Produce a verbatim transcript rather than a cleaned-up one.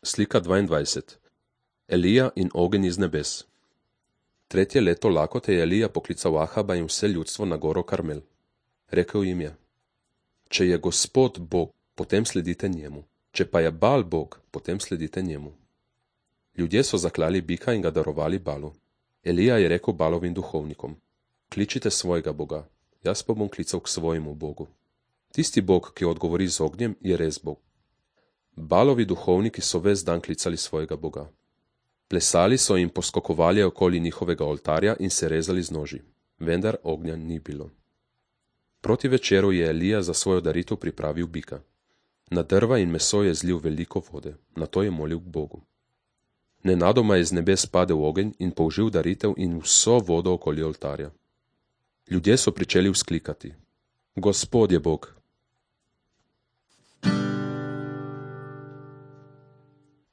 Slika dvaindvajset. Elija in ogenj iz nebes. Tretje leto lakote je Elija poklical Ahaba in vse ljudstvo na goro Karmel. Rekel jim je: Če je Gospod Bog, potem sledite njemu, če pa je Bal Bog, potem sledite njemu. Ljudje so zaklali bika in ga darovali Balu. Elija je rekel Balovim duhovnikom: Kličite svojega Boga, jaz pa bom klical k svojemu Bogu. Tisti Bog, ki odgovori z ognjem, je res Bog. Balovi duhovniki so ves dan klicali svojega Boga. Plesali so in poskokovali okoli njihovega oltarja in se rezali z noži, vendar ognja ni bilo. Proti večeru je Elija za svojo daritev pripravil bika. Na drva in meso je zlil veliko vode, nato je molil k Bogu. Nenadoma je z nebes padel ogenj in použil daritev in vso vodo okoli oltarja. Ljudje so pričeli vzklikati: Gospod je Bog,